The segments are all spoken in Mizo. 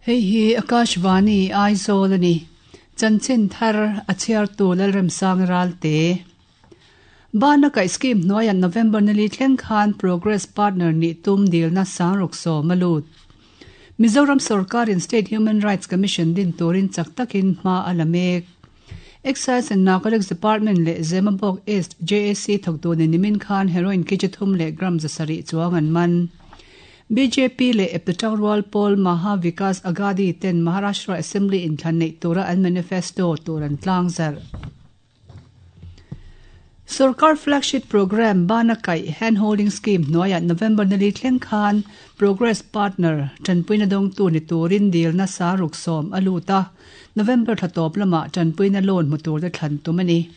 Hei hi Akashvani Aizawl a ni. Chanchin thar a chhiartu Lalremsang Ralte. Bana kaih scheme hnuaiah November nili thleng khan Progress Partner nih tum dilna sangruk sawm a lut. Mizoram sorkarin State Human Rights Commission din turin chak takin hma a la mek. Excise and Narcotics Department leh Zemabawk East JAC thawktu ni nimin khan heroin kg thum leh gram 700 chuang an man. Bjp leh eptu rual pawl Maha Vikas Aghadi ten Maharashtra Assembly inthlan neih tura an manifesto tur an tlang zarh. Sarkar flagship program Bana Kaih Hand Holding Scheme hnuaiah November nili thleng khan Progress Partner tanpuina dawngtu ni turin dilna saruk sawm a lut a. November thla tawp lamah tanpuina loan hmu tur te thlan tum a ni.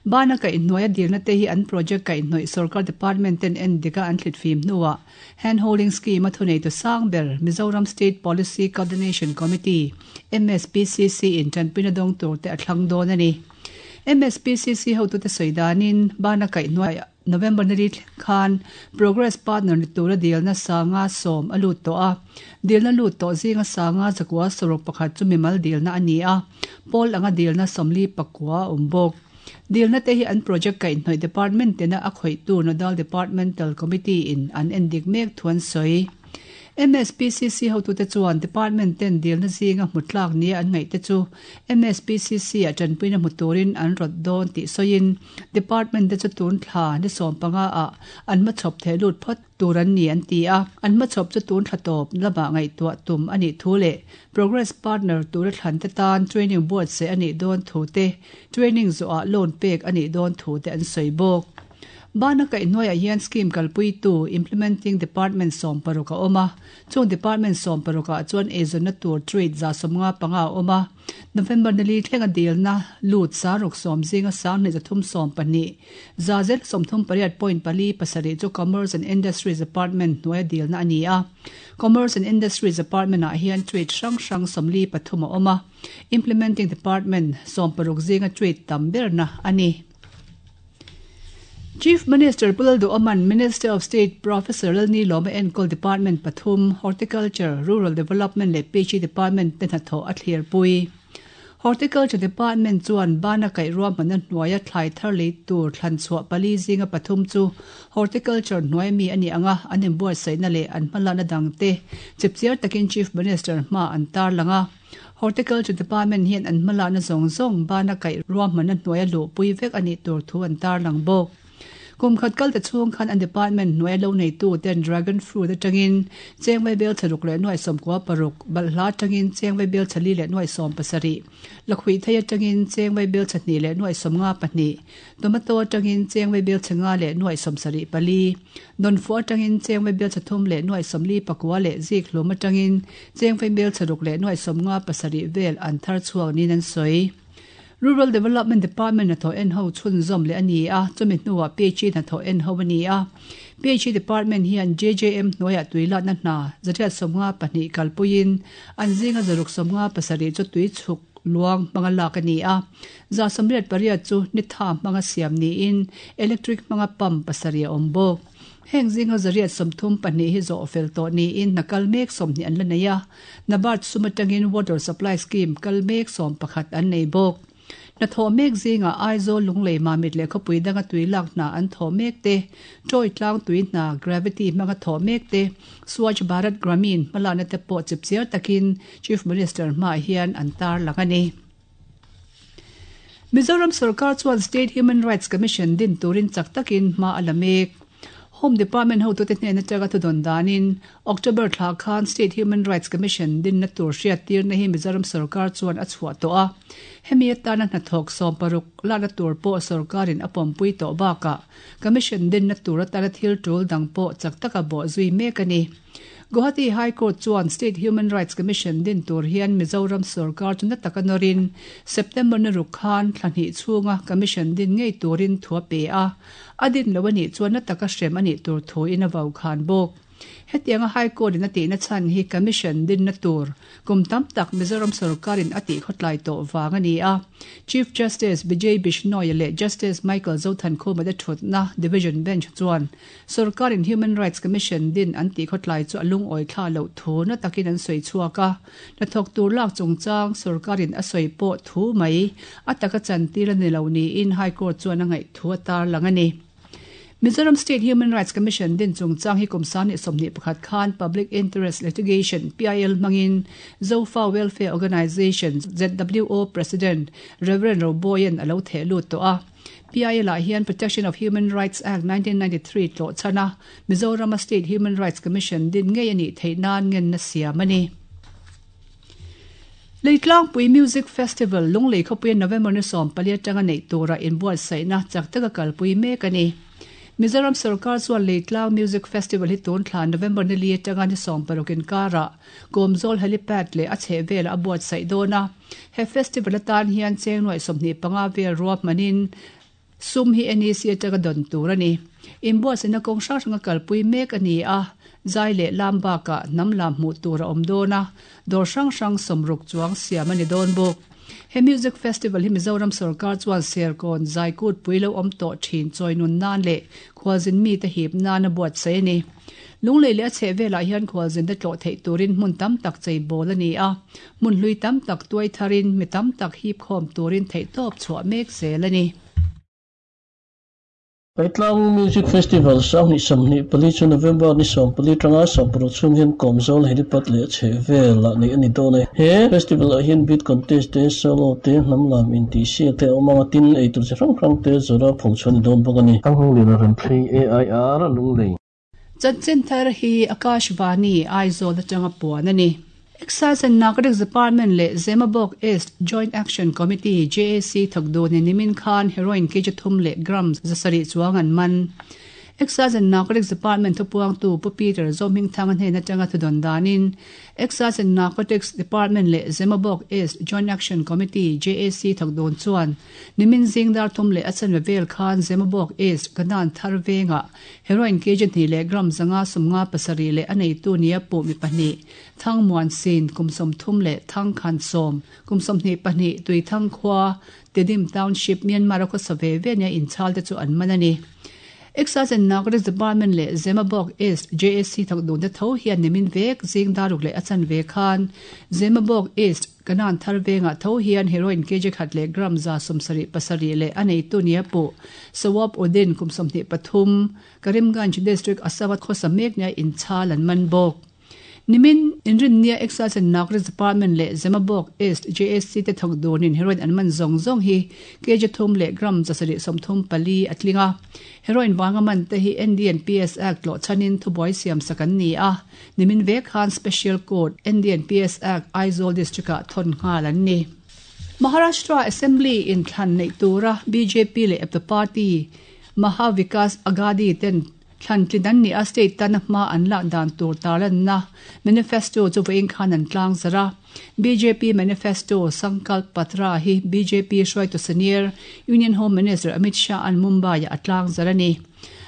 Bana kaih hnuaia dilna te hi an project kaih hnawih sarkar department ten en dika an thlit fim hnuah Hand Holding Scheme a thunei tu sang ber Mizoram State Policy Coordination Committee MSPCC in tanpuina dawng tur te a thlang dawn a ni. MSPCC hotu te sawi danin bana kaih hnuaiah November nili thleng khan Progress Partner ni tura dilna sanga sawm a lut tawh a. Dilna lut tawh zinga sanga zakua saruk pakhat chu mimal dilna a ni a. Pawl anga dilna sawmli pakua a awm bawk. Dilna te hi an project kaih hnawih department tena a khawihtu Nodal Departmental Committee in an endik mek thu an sawi. MSPCC hotute chuan department ten dilna zinga hmu tlak nia an ngaih te chu MSPCC ah tanpuina hmu turin an rawt dawn tih sawiin department te chu tun thla ni sawm panga ah an hmachhawp theh lut phawt tur an ni an ti a. An hmachhawp chu tun thla tawp lamah ngaihtuah tum a nih thu leh Progress Partner tura thlan te tan training buatsaih a nih dawn thu te, training zawhah loan pek a nih dawn thu te an sawi bawk. Bana kaih hnuaiah hian scheme kalpuitu Implementing Department 16 a awm a, chung department 16 ah chuan eizawnna tur trade 155 a awm a. November nili thlenga dilna lut saruk sawm zinga 2312, 138.47 chu Commerce and Industries Department hnuaia dilna a ni a. Commerce and Industries Department ah hian trade hrang hrang 43 a awm a, Implementing Department 16 zinga trade tam berna a ni. Chief Minister Pu Lalduhoma'n Minister of State Professor Lalnilawma enkawl Department pathum, Horticulture, Rural Development leh PHE Department te hnathawh a thlirpui. Horticulture Department chuan bana kaih ruahmanna hnuaia thlai thar lei tur thlan chhuah pali zinga pathum chu Horticulture hnuai mi a ni ang a, an inbuatsaihna leh an hmalakna dangte chipchiar takin Chief Minister hma an tarlang a. Horticulture Department hian an hmalakna zawng zawng bana kaih ruahmanna hnuaia luhpui vek a nih tur thu an tarlang bawk. Kum khat kal ta chhung khan an department hnuaia lo neitu ten dragon fruit atangin cheng vaibel thlaruk leh nuai sawmkua paruk, balhla atangin cheng vaibel thali leh nuai sawm pasarih, lakhuih thei atangin cheng vaibel chahnih leh nuai sawmnga pahnih, tomato atangin cheng vaibel chhenga leh nuai sawmsarih pali, dawnfu atangin cheng vaibel chhathum leh nuai sawmli pakua leh zik hlum atangin cheng vaibel chharuk leh nuai sawmnga pasarih vel an thar chhuak niin an sawi. Rural Development Department hnathawh en ho chhunzawm leh a ni a, chumi hnuah PHE hnathawh en ho a ni a. PHE Department hian JJM hnuaiah tui lakna hna 152 kalpuiin an zinga 657 chu tui chhuk luang hmanga lak a ni a. 88 chu nitha hmanga siam niin electric hmanga pump pasarih a awm bawk. Heng zinga 132 hi zawh fel tawh niin hna kal mek 20 an la nei a. NABARD sum atangin Water Supply Scheme kal mek 11 an nei bawk. Hna thawh mek zingah Aizawl Lunglei Mamit leh khawpui danga tui lak hna an thawh mek te, Troy tlang tui hna gravity hmanga thawh mek te, Swachh Bharat Grameen hmalakna te pawh chipchiar takin Chief Minister hmaah hian an tarlang a ni. Mizoram sarkar chuan State Human Rights Commission din turin chak takin hma a la mek. Home Department hotute hnen atanga thudawn danin October thla khan State Human Rights Commission dinna tur hriat tirna hi Mizoram sarkar chuan a chhuah tawh a. Hemi atana hnathawk 16 lakna tur pawh sarkarin a pawmpui tawh bakah Commission dinna tur atana thil tul dang pawh chak taka bawh zui mek a ni. Guwahati High Court chuan State Human Rights Commission din tur hian Mizoram sarkar chu na taka nawrin September ni ruk khan thla hnih chhunga Commission din ngei turin thu a pe a. A din lo a nih chuan na taka hrem a nih tur thu in a vau khan bawk. Hetianga High Court in a tihna chhan hi Commission dinna tur kum tam tak Mizoram sorkarin a tihkhawtlai tawh vang a ni a. Chief Justice Vijay Bishnoi leh Justice Michael Zothankhuma te thutna Division Bench chuan sorkarin Human Rights Commission din an tihkhawtlai chu a lungawi thla loh thu na takin an sawi chhuak a. Hnathawk tur lak chungchang sorkarin a sawi pawh thu mai a taka chantir a ni lo niin High Court chuan a ngaih thu a tarlang a ni. Mizoram State Human Rights Commission din chungchang hi kum 2021 khan Public Interest Litigation, PIL, hmangin Zofa Welfare Organisation, ZWO, President Rev Roboyan a lo theh lut tawh a. PIL ah hian Protection of Human Rights Act 1993 tlawh chhan a, Mizorama State Human Rights Commission din ngei a nih theih nan ngenna siam a ni. Leitlangpui Music Festival Lunglei khawpuia November ni 14 atanga neih tura inbuatsaihna chak taka kalpui mek a ni. Mizoram sorkar chuan Leitlang Music Festival hi tun thla November ni li atanga ni 16 inkarah Kawmzawl Helipad leh a chhehvelah a buatsaih dawn a. He festival atan hian cheng nuaih 25 vel ruahmanin Sum hi NEC atanga dawn tur a ni. Inbuatsaihna kawng hrang hranga kalpui mek a ni a, zai leh lam bakah hnam lam hmuh tur a awm dawn a, dawr hrang hrang sawmruk chuang siam a ni dawn bawk. He Music Festival hi Mizoram sawrkar chuan Serkawn zaikut pui lo awm tawh thin chawi nun nan leh khualzin mite hip nan a buatsaih a ni. Lunglei leh a chheh velah hian khualzinte tlawh theih turin hmun tam tak cheibawl a ni a, hmun hlui tam tak tuai tharin mi tam tak hip khawm turin theihtawp chhuah mek zel a ni. Paitlang Music Festival 2024 chu November ni 14 tanga 16 chhung hian Kawmzawl Helipad leh chheh velah neih a ni dawn a. He festival ah hian beat contest te, solo te, hnam lam intihsiak te a awm ang a, tin eitur chi hrang hrang te zawrha pho chhuah a ni dawn bawk a ni. Thanghnawng Liana Remthlei, AIR, Lunglei. Chanchin thar hi Akashvani, Aizawl atanga puan a ni. Excise and Narcotics Department leh Zemabawk East Joint Action Committee, JAC, thawk dunin nimin khan heroin kg thum leh gram zasarih chuang an man. Excise and Narcotics Department thupuangtu Pu Peter Zohmingthanga hnen atanga thudawn danin Excise and Narcotics Department leh Zemabawk East Joint Action Committee, JAC, thawk dun chuan nimin zing dar thum leh a chanve vel khan Zemabawk East Kanan thar vengah Heroin kg hnih leh gram 557 leh a neitu nia puh mi pahnih, Thang Muan Sin, kum 30 leh Thang Khan Sawm, kum 22, Tuithang khua, Tedim Township, Myanmar a khawsa ve ve nia inchhal te chu an man a ni. Excise and Narcotics Department leh Zemabawk East JAC thawk dun te tho hian nimin vek zing daruk leh a chanve khan Zemabawk East Kanan thar vengah tho hian heroin kg khat leh gram 77 leh a neitu nia puh Sawab Uddin kum 23, Karimganj District Assam-a khawsa mek nia inchhal an man bawk. Nimin inrinnia Excise and Narcotics Department leh Zemabawk East JAC te thawk dunin heroin an man zawng zawng hi kg thum leh gram 734 a tling a. Heroin vanga man te hi NDNPS Act tlawh chhanin thubuai siamsak an ni a. Nimin vek khan Special Court, NDNPS Act, Aizawl District-ah thawn nghal an ni. Maharashtra Assembly inthlan neih tura bjp leh eptu party Maha Vikas Aghadi ten thlan tlin an nih a, state tana hma an lak dan tur tarlanna manifesto chu vawiin khan an tlangzarh a. Bjp manifesto Sankalp Patra hi bjp hruaitu senior Union Home Minister Amit Shah-a'n Mumbai-ah a tlangzarh a ni.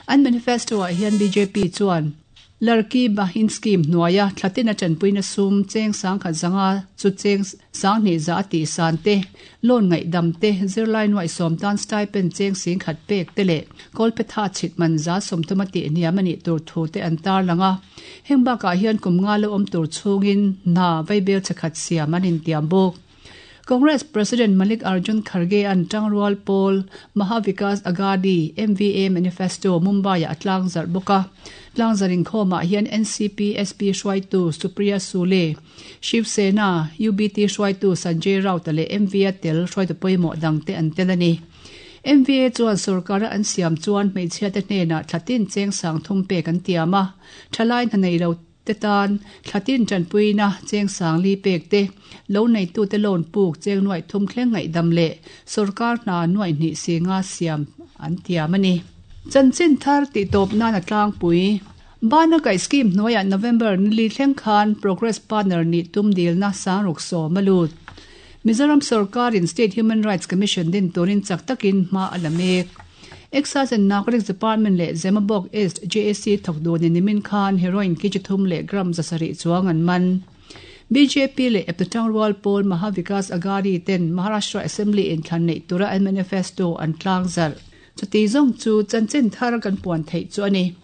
An manifesto-ah hian bjp chuan Larki Bahin Scheme hnuaia thlatin a tanpuina sum cheng sangkhat zanga chu cheng sanghnih za a tih san te, loan ngaihdam te, zirlai nuaih sawm tan stipend cheng singkhat pek te leh kawlphetha chhit man za sawmthum a tih hniam a nih tur thu te an tarlang a. Heng bakah hian kum nga lo awm tur chhungin hna vaibel chhekhat siam an intiam bawk. Congress President Mallikarjun Kharge-a'n tangrual pawl Maha Vikas Aghadi, MVA, Manifesto Mumbai-ah a tlangzarh bawk a. Tlangzarh inkhawmah hian NCP SP hruaitu Supriya Sule, Shiv Sena, UBT hruaitu Sanjay Raut-a leh MVA tel hruaitu pawimawh dangte an tel a ni. MVA chuan sorkara an siam chuan hmeichhiate hnenah thlatin cheng sangthum pek an tiam a, thalai hna nei lo te tan thlatin tanpuina cheng sangli pek te, lo neitute loan puk cheng nuaih thum thleng ngaihdam leh sorkar hna nuaih hnih si nga siam an tiam a ni. Chanchin thar tihtawp nan a tlangpui. Bana kaih scheme hnuaiah November nili thleng khan Progress Partner nih tum dilna sangruk sawm a lut. Mizoram sorkarin State Human Rights Commission din turin chak takin hma a la mek. Excise and Narcotics Department leh Zemabawk East JAC thawk dunin nimin khan heroin kg thum leh gram 700 chuang an man. Bjp leh eptu rual pawl Maha Vikas Aghadi ten Maharashtra Assembly inthlan neih tura an manifesto an tlangzarh. Chuti zawng chu chanchin thar kan puan theih chu a ni.